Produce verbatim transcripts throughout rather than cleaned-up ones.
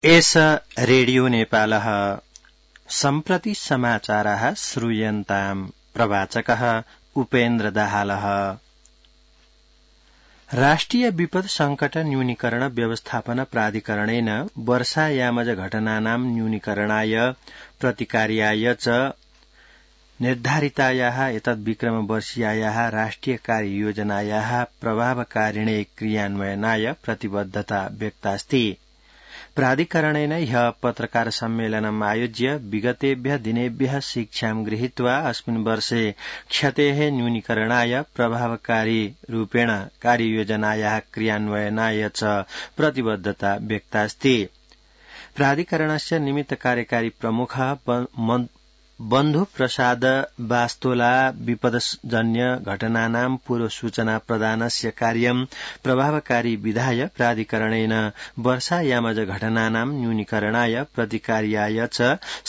एष रेडियो नेपालः सम्प्रति समाचारः श्रूयन्ताम् प्रवाचकः उपेन्द्र दाहालः। राष्ट्रिय विपद संकट न्यूनीकरण व्यवस्थापन प्राधिकरणेन वर्षायामज घटनानां न्यूनीकरणाय प्रतिकार्याय च निर्धारितायाः एतद्विक्रमवर्षीयायाः राष्ट्रिय कार्ययोजनायाः प्रभावकारिणे क्रियान्वयनाय प्रतिबद्धता व्यक्तास्ति। प्राधिकरणेन ह्यः पत्रकार सम्मेलनम् आयोज्य विगतेभ्यः दिनेभ्यः शिक्षां गृहीत्वा अस्मिन् वर्षे क्षतेः न्यूनीकरणाय प्रभावकारी रूपेण कार्ययोजनायाः क्रियान्वयनाय च प्रतिबद्धता व्यक्तास्ति। प्राधिकरणस्य निमित्त कार्यकारी प्रमुखः बन्धु प्रसाद बास्तोला विपदजन्य घटनानां पूर्व सूचना प्रदानस्य कार्यं प्रभावकारी विधाय प्राधिकरणेन वर्षायामज घटनानां न्यूनीकरणाय प्रतिकार्याय च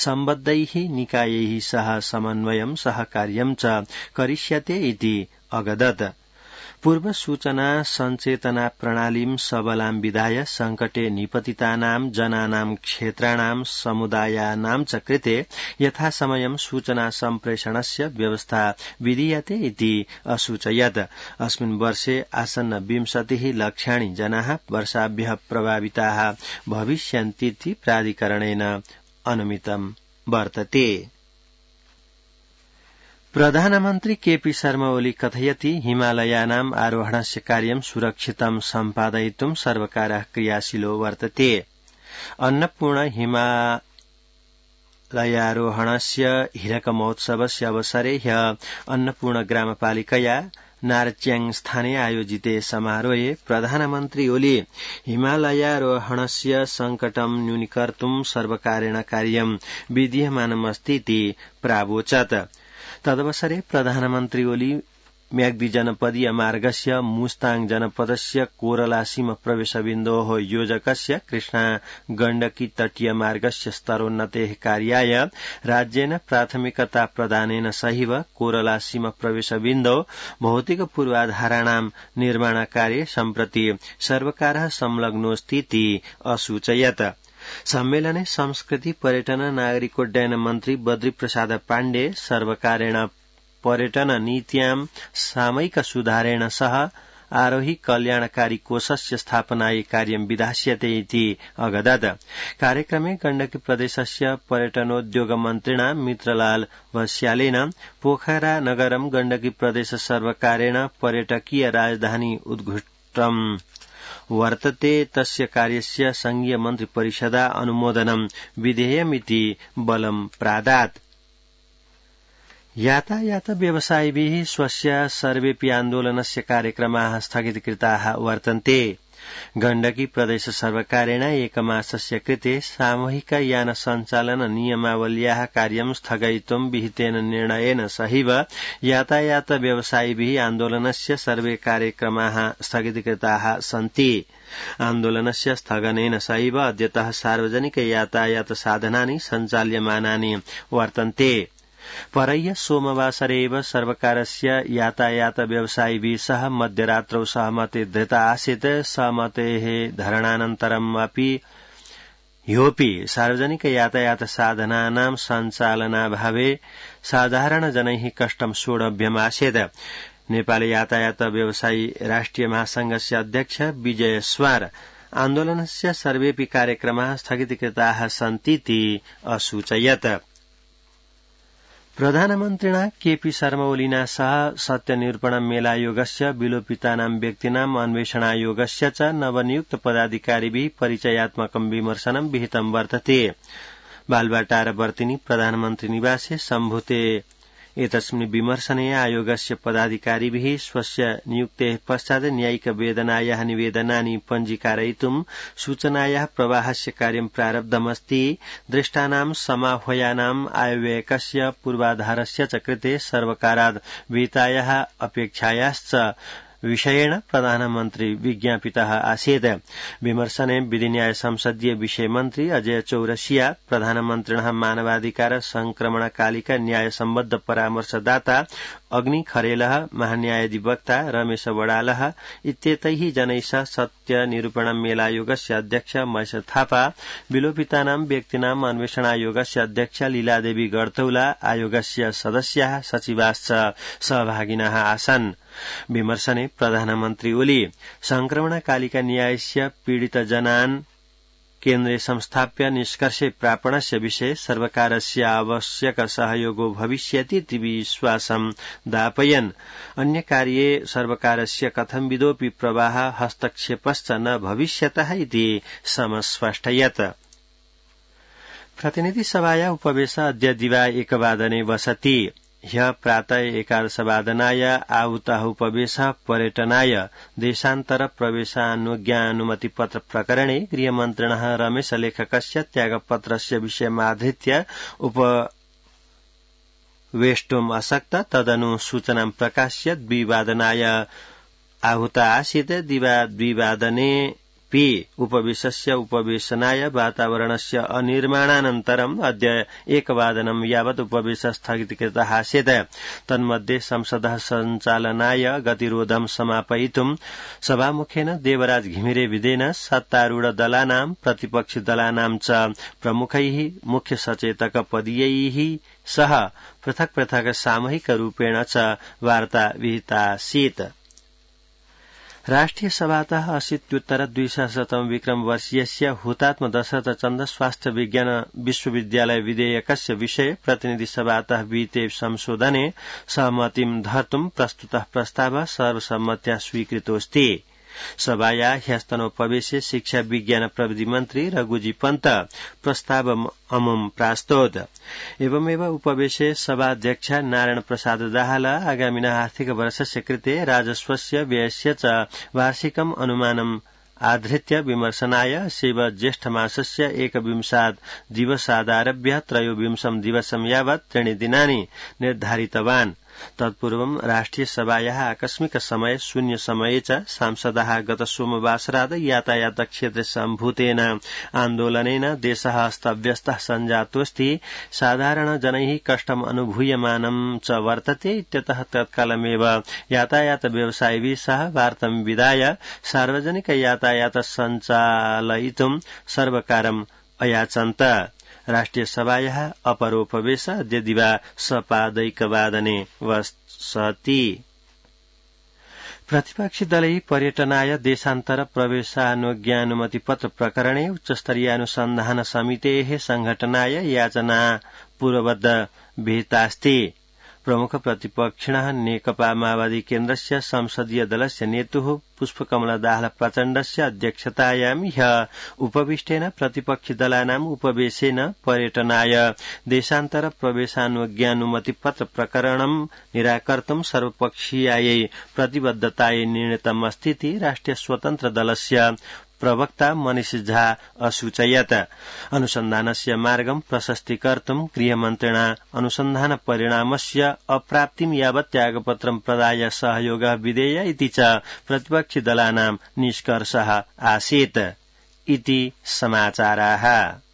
सम्बद्धैः निकायैः सह समन्वयं सहकार्यं च करिष्यते इति अगदत्। पूर्व सूचना सञ्चेतना प्रणालीं सबलां विधाय संकटे निपतितानां जनानां क्षेत्राणां समुदायानां च कृते यथासमयं सूचना सम्प्रेषणस्य व्यवस्था विधीयते इति असूचयत्। अस्मिन् वर्षे आसन्न विंशतिः लक्षाणि जनाः वर्षाभ्यः प्रभाविताः भविष्यन्तीति प्राधिकरणेन अनुमितं वर्तते। प्रधानमन्त्री केपी शर्मा ओली कथयति हिमालयानाम् आरोहणस्य कार्यं सुरक्षितं सम्पादयितुं सर्वकारः क्रियाशीलो वर्तते। अन्नपूर्ण हिमालयारोहणस्य हीरक महोत्सवस्य अवसरे ह्यः अन्नपूर्ण ग्रामपालिकया नारच्याङ् स्थाने आयोजिते समारोहे प्रधानमन्त्री ओली हिमालयारोहणस्य संकटं न्यूनीकर्तुं सर्वकारेण कार्यं विधीयमानमस्ति इति प्रावोचत्। तदवसरे प्रधानमन्त्री ओली म्याग्दी जनपदीय मार्गस्य मुस्ताङ जनपदस्य कोरला सीम प्रवेशबिन्दोः योजकस्य कृष्णा गण्डकी तटीय मार्गस्य स्तरोन्नतेः कार्याय राज्येन प्राथमिकता प्रदानेन सहैव कोरला सीम प्रवेशबिन्दौ भौतिक पूर्वाधाराणां निर्माणकार्ये सम्प्रति सर्वकारः संलग्नोऽस्तीति असूचयत्। सम्मेलने संस्कृति पर्यटन नागरिकोड्डयन मन्त्री बद्री प्रसाद पाण्डे सर्वकारेण पर्यटन नीत्यां सामयिक सुधारेण सह आरोही कल्याणकारी कोषस्य स्थापनायै कार्यं विधास्यते इति अगदत्। कार्यक्रमे गण्डकी प्रदेशस्य पर्यटनोद्योग मन्त्रिणा मित्रलाल वस्यालेन पोखरा नगरं गण्डकी प्रदेश सर्वकारेण पर्यटकीय राजधानी उद्घुष्टम् वर्तते तस्य कार्यस्य संघीय मन्त्री परिषदा अनुमोदनं विधेयमिति बलं प्रादात्। यातायात व्यवसायिभिः स्वस्य सर्वेऽपि आन्दोलनस्य कार्यक्रमाः स्थगितकृताः वर्तन्ते। गण्डकी प्रदेश सर्वकारेण एकमासस्य कृते सामूहिक यान सञ्चालन नियमावल्याः कार्यं स्थगयितुं विहितेन निर्णयेन सहैव यातायात व्यवसायिभिः आन्दोलनस्य सर्वे कार्यक्रमाः स्थगितकृताः सन्ति। आन्दोलनस्य स्थगनेन सहैव अद्यतः सार्वजनिक यातायात साधनानि सञ्चाल्यमानानि वर्तन्ते। परह्य सोमवासरे एव सर्वकारस्य यातायात व्यवसायिभिः सह मध्यरात्रौ सहमति धृता आसीत्। सहमतेः धरणानन्तरम् अपि ह्योऽपि सार्वजनिक यातायात साधनानां सञ्चालनाभावे साधारण जनैः कष्टं सोढव्यमासीत्। नेपाल यातायात व्यवसायी राष्ट्रिय महासंघस्य अध्यक्ष विजय स्वार आन्दोलनस्य सर्वेऽपि कार्यक्रमाः स्थगितकृताः सन्तीति असूचयत्। प्रधानमन्त्रिणा केपी शर्मा ओलिना सह सत्यनिरूपण मेलायोगस्य विलोपितानां व्यक्तीनाम् अन्वेषणायोगस्य च नवनियुक्त पदाधिकारिभिः परिचयात्मकं विमर्शनं विहितं वर्तते। बालबाटार वर्तिनी प्रधानमन्त्री निवासे सम्भूते एतस्मिन् विमर्शने आयोगस्य पदाधिकारिभिः स्वस्य नियुक्तेः पश्चात् न्यायिक वेदनायाः निवेदनानि पञ्जीकारयितुं सूचनायाः प्रवाहस्य कार्यं प्रारब्धमस्ति। दृष्टानां समाह्वयानाम् आयव्ययकस्य पूर्वाधारस्य च कृते सर्वकाराद् विहितायाः अपेक्षायाश्च विषयेण प्रधानमन्त्री विज्ञापितः आसीत्। विमर्शने विधिन्याय संसदीय विषय मन्त्री अजय चौरसिया, प्रधानमन्त्रिणः मानवाधिकार संक्रमणकालिका न्याय सम्बद्ध परामर्शदाता अग्नि खरेलः, महान्यायाधिवक्ता रमेश वडालः इत्येतैः जनैः सह सत्य निरूपण मेलायोगस्य अध्यक्ष महेश थापा, विलोपितानां व्यक्तीनाम् अन्वेषणायोगस्य अध्यक्ष लीलादेवी गढतौला, आयोगस्य सदस्याः सचिवाश्च सहभागिनः आसन्। विमर्शने प्रधानमन्त्री ओली संक्रमणकालिका न्यायस्य पीडितजनान् केन्द्रे संस्थाप्य निष्कर्षे प्रापणस्य विषये सर्वकारस्य आवश्यक सहयोगो भविष्यतीति विश्वासं दापयन्। अन्य कार्ये सर्वकारस्य कथंविदोऽपि प्रवाह हस्तक्षेपश्च न भविष्यतः इति समस्पष्टयत्। प्रतिनिधिसभाया उपवेश अद्य दिवा एकवादने वसति। ह्यः प्रातः एकादशवादनाय आहूतः उपवेशः पर्यटनाय देशान्तर प्रवेशानुज्ञानुमतिपत्र प्रकरणे गृहमन्त्रिणः रमेशलेखकस्य त्यागपत्रस्य विषयमाधृत्य उपवेष्टुम् असक्त। तदनु सूचनां प्रकाश्य द्विवादनाय आहूता आसीत्। दिवा द्विवादने पि उपवेशस्य उपवेशनाय वातावरणस्य अनिर्माणानन्तरम् अद्य एकवादनं यावत् उपवेश स्थगितकृतः आसीत्। तन्मध्ये संसदः सञ्चालनाय गतिरोधं समापयितुं सभामुखेन देवराज घिमिरे विधेन सत्तारूढ दलानां प्रतिपक्षि दलानां च प्रमुखैः मुख्य सचेतक पदीयैः सह पृथक् पृथक् सामूहिक रूपेण च वार्ता विहितासीत्। राष्ट्रिय सभातः अशीत्युत्तर द्विसहस्रतम विक्रम वर्षीयस्य हुतात्म दशरथ चन्द्र स्वास्थ्य विज्ञान विश्वविद्यालय विधेयकस्य विषये प्रतिनिधि सभातः विहिते संशोधने सहमतिं धर्तुं प्रस्तुतः प्रस्तावः सर्वसम्मत्या स्वीकृतोऽस्ति। सभाया ह्यस्तनोपवेशे शिक्षा विज्ञान प्रविधि मन्त्री रघुजी पन्त प्रस्तावममुं प्रास्तोत्। एवमेव उपवेशे सभाध्यक्ष नारायण प्रसाद दाहाल आगामिनः आर्थिक वर्षस्य कृते राजस्वस्य व्ययस्य च वार्षिकम् अनुमानम् आधृत्य विमर्शनाय शिव ज्येष्ठमासस्य एकविंशात् दिवसादारभ्य त्रयोविंशं दिवसं यावत् त्रीणि दिनानि निर्धारितवान्। तत्पूर्वं राष्ट्रिय सभायाः आकस्मिक समय शून्य समये च सांसदाः गत सोमवासरात् यातायात क्षेत्रे सम्भूतेन आन्दोलनेन देशः अस्तव्यस्तः सञ्जातोऽस्ति, साधारणजनैः कष्टम् अनुभूयमानं च वर्तते इत्यतः तत्कालमेव यातायात व्यवसायिभिः सह वार्तां विधाय सार्वजनिक यातायात सञ्चालयितुं सर्वकारम् अयाचन्त। राष्ट्रिय सभायाः अपरोपवेश अद्य दिवा सपादैकवादने वसति। प्रतिपक्षी दलैः पर्यटनाय देशान्तर प्रवेशानुज्ञानुमतिपत्र प्रकरणे उच्चस्तरीयानुसन्धान समितेः संघटनाय याचना पूर्ववद् विहितास्ति। प्रमुख प्रतिपक्षिणः नेकपा माओवादी केन्द्रस्य संसदीय दलस्य नेतुः पुष्पकमल दाहाल प्रचण्डस्य अध्यक्षतायां ह्यः उपविष्टेन प्रतिपक्षि दलानाम् उपवेशेन पर्यटनाय देशान्तर प्रवेशानुज्ञानुमतिपत्र प्रकरणं निराकर्तुं सर्वपक्षीयायै प्रतिबद्धतायै निर्णीतम् अस्तीति राष्ट्रिय स्वतन्त्र दलस्य प्रवक्ता मनीष झा असूचयत्। अनुसन्धानस्य मार्गं प्रशस्तीकर्तुं गृहमन्त्रिणा अनुसन्धान परिणामस्य अप्राप्तिं यावत् त्यागपत्रं प्रदाय सहयोगः विधेय इति च प्रतिपक्षि दलानां निष्कर्षः आसीत् इति समाचाराः।